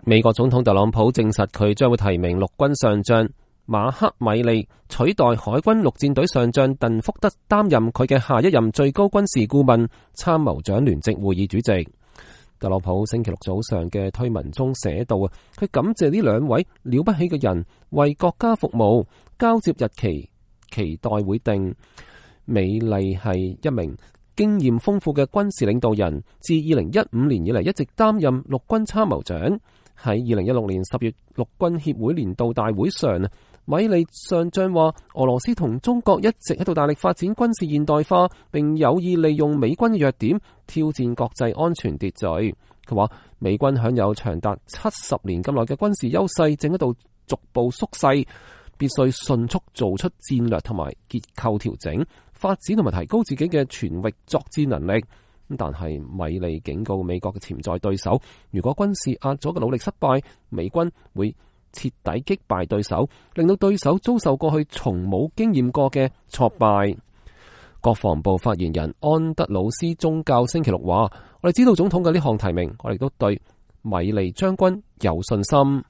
美國總統特朗普證實佢將會提名陸軍上將馬克米利取代海軍陸戰隊上將鄧福德擔任佢嘅下一任最高軍事顧問、參謀長聯席會議主席。特朗普星期六早上嘅推文中寫道啊，佢感謝呢兩位了不起嘅人為國家服務，交接日期期待會定。米利係一名經驗豐富嘅軍事領導人，自2015年以嚟一直擔任陸軍參謀長。喺2016年10月陸軍協會年度大會上，米利上將話俄羅斯同中國一直喺度大力發展軍事現代化，並有意利用美軍嘅弱點挑戰國際安全秩序。佢話美軍享有長達70年咁耐嘅軍事優勢，正喺度逐步縮細，必須迅速做出戰略同埋結構調整，發展同埋提高自己嘅全域作戰能力。但係米利警告美國嘅潛在對手，如果軍事壓阻嘅努力失敗，美軍會徹底擊敗對手，令到對手遭受過去從冇經驗過嘅挫敗。國防部發言人安德魯斯宗教星期六話：我哋知道總統嘅呢項提名，我哋都對米利將軍有信心。